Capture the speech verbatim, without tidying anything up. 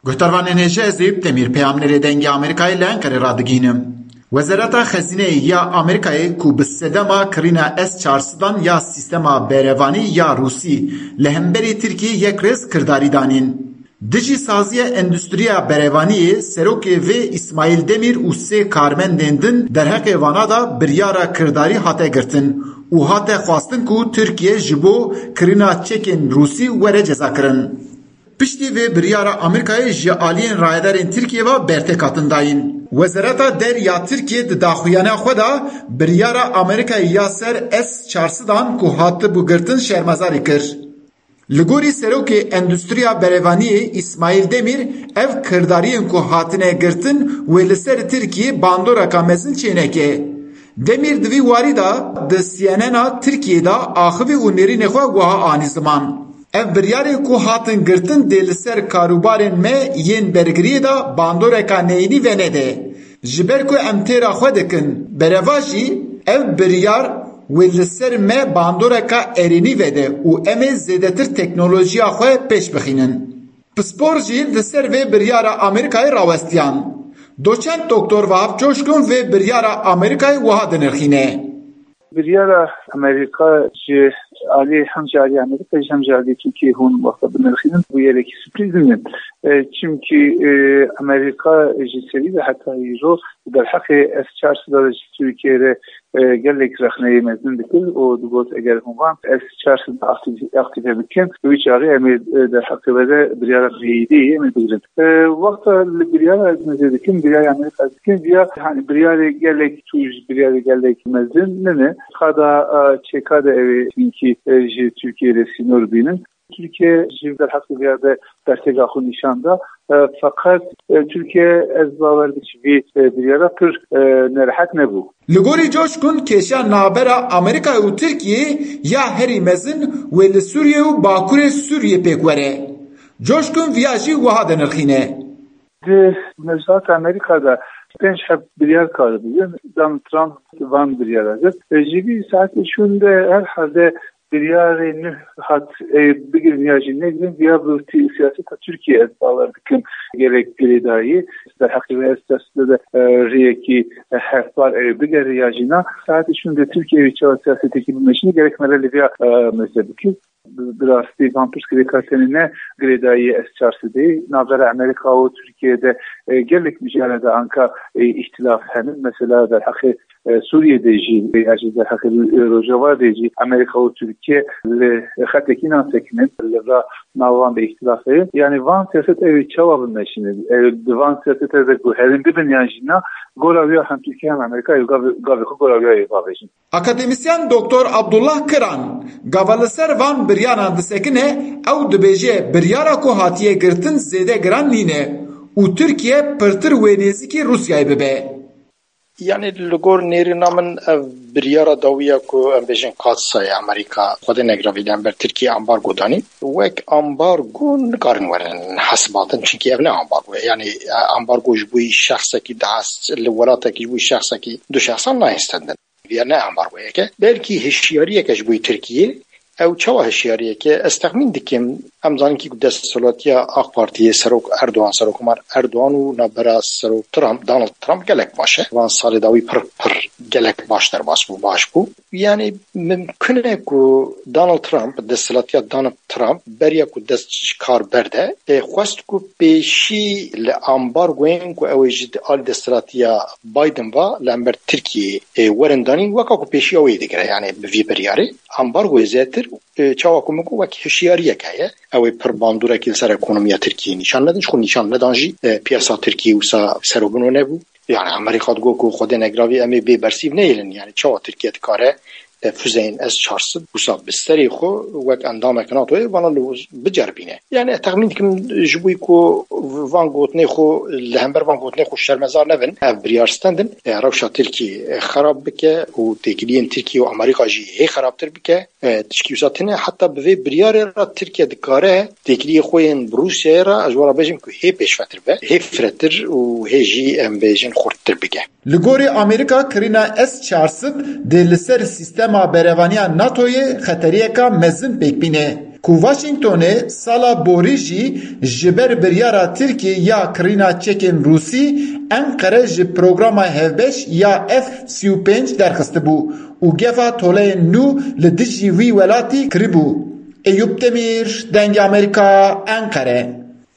Guhdarvanên hêja, ez Eyüp Demîr, peyamnêrê Dengê Amerîkayê li Enqerê radigihînim. Wezareta Xezîneyê ya Amerîkayê ku bi sedema kirîna S çar sedan ya sîstema berevanî ya Rûsî li hemberî Tirkiyê yek rêz kirdarî danîn. Dijî saziya endustriya berevaniyê serokê vê Îsmaîl Demîr û sê karmendên din derheqê vana de biryara kirdarî hate girtin û hate xwestin ku Tirkiye ji bo kirîna çekên Rûsî were cezakirin. Piştî vê biryara Amerîkayê ji aliyên rayedarên Tirkiyê ve bertêk hatin dayîn. Wezareta Derya Tirkiyê di daxuyana xwe de biryara Amerîkayê ya ser S çar sedan ku hatibû girtin şermezarî kir. Li gorî serokê endustriya berevaniyê Îsmaîl Demîr, ev kirdariyên ku hatine girtin wê li ser Tirkiyê bandoreka mezin çêneke. Demîr di vî warî de di C N N a Tirkiyê de axivî û nêrînê xwe wiha anî ziman. Ev biryarên ku hatin girtin dê li ser karûbarên me yên bergiriyê de bandoreka neyînî venede. Ji ber ku em têra xwe dikin, bereva jî ev biryar wê li ser me bandoreka erênî vede û em ê zêdetir teknolojiya xwe pêş bixînin. Pispor jî li ser vê biryara Amerîkayê rawestiyan. Doçent Doktor Vahap Coşkun vê biryara Amerîkayê wiha dinirxîne. Biryara Amerîka ji alî, hem ji alî Amerîka jî hem ji alî Tirkiyê hûn wexta binirxînin, bû yerekî sürprîz nîne. E, çimkî, e, Amerîka ji serî ve heta îro derheqê S çar sed de ji Tirkiyê re, e, gelek rexneyê mezin dikir û digot, eger hûn van S çar sed de aktif-, aktive bikin, wî çaxê em ê, e, derheqê ve de biryara meyîdê em ê bigirin. E, wexta li biryara ez nizê dikim, biryara Amerîka dikim, viya, hani, biryarê gelek tûj, biryarê gelek mezin nine. Qada, e, çêka de ew ê hinkî, e, ji Tirkiyê re sînor bînin. Tirkiye ji derheqê vê de bertêka xwe nîşan da. E, feqet, e, Tirkiye, ez bawer dikim, ji vî, e, biryara pir, e, nerehet nebû. Li gorî Coşkun, kêşa navbera Amerîkayê û Tirkiyê ya herî mezin wê li Sûriye û bakurê Sûriyê pêk were. Coşkun viya jî wiha dinirxîne. Di mewzuata Amerîka de pênc heb biryar karibû. Donald Trump van biryara girt. E, ji vî saetê şûn de herhalde biryarê nû hat, e, bigirin ya jî negirin, ya bi tî-, siyaseta Tirkiye ez bawer dikim gelek girêdayî. Derheqê vê ez siyasete de, e, rêyekî, e, hevpar ew bigere ya jî na. Saetê şûn de Tirkiye wî çawa siyasetekî bimeşîne, gerek me re li vêya, e, meze bikir. Bi, bi rastî van pirsgirêka tenê ne girêdayî S çar sedî. Navbera Amerîka û Tirkiye de, e, gelek mijale de anka, e, îhtilaf henin. Mesela derheqê, e, Sûriyê de jî, e, ya jî derheqê, e, Rojava de jî Amerîka û Tirkiye li xetekî nasekinin. Li va nava de îhtilaf heye. Yani van siyaset ew ê çawa bimeşînin? Ew di van siyasete de guherîn bibin yan jî na, gora wî ya hem Tirkiye hem Amerîka ew gavê, gavê xwe gora wî ya ê bavêjin. Akademîsyen Doktor Abdullah Kiran, gava li ser van biryaran disekine, ew dibêje biryara ku hatiye girtin zêde giran nîne û Tirkiye pirtir wê nêzîkî Rûsyayê bibe. Yani li gor nêrîna min ev biryara dawiya ku em bêjin katsayê Amerîka Xwedê negiravî li hember Tirkiye ambargo danî, wek ambargo nikarin werin hesibandin, çimkî ev ne ambargo ye. Yani, e, ambargo ji bo şexsekî dehas li welatekî ji bo şexsekî du şexsan nayên stendin. Vîya ne ambargoyeke, belkî hişyariyeke ji bo Tirkiyê. Ew çawa hişyariyeke? Ez texmîn dikim, em zanin kî ku desthilatiya AK Partiyê, Serok Erdogan, Serokomar Erdogan û navbera Serok Trump, Donald Trump gelek baş e. Van salê dawî pir pir gelek baş derbas bû, baş bû. Yani mimkun e ku Donald Trump, desthilatiya Donald Trump beriya ku dest ji kar berde, e, xwest ku pêşî li ambargoyên ku ew ê ji alî desthilatiya Biden va li hember Tirkiyê, e, werin danîn, weka ku pêşiya wê digire, yani bi vî biryarê. Ambargoyê zêdetir, e, çawa ku min got, wek hişyariyek heye. Ew ê pir bandorek li ser ekonomiya Tirkiyê nîşan nedin, ji xwe nîşan nedan jî, e, piyasa Tirkiyê wisa ser û bino nebû. Yani Amerîka digot ku Xwedê negiravî em ê bê bersîv neyêlin. Yani çawa Tirkiye dikare, e, füzeyên S çar sed wisa bi serê xwe wek endamek NATOyê vana li biceribîne. Yani ez texmîn dikim ji bo ku van gotinê xwe, li hember van gotinê xwe şermezar nebin, ev biryar stendin, e, rewşa Tirkiyê, e, xerab bike û têkiliyên Tirkiye û Amerîka jî hê xerabtir bike. E, tişkî wisa tune, heta bi vê biryarê re Tirkiye dikare têkiliyê xwe yên bi Rûsyayê re, ez wara bêjim ku hê pêşvetir be, hê firehtir û hê jî em bêjin xurttir bike. Li gorî Amerîka, kirîna S çar sed dê li ser sîstema berevaniya NATOyê xeteriyeka mezin pêk bîne. ku Washingtonê sala borî jî ji ber biryara Tirkiyê ya kirîna çekên Rûsî, Enqere ji programa hevbeş ya F sî û pênc derxistibû û geva toleyên nû li dijî wî welatî kiribû. Eyûp Demîr, Dengê Amerîka, Enqere.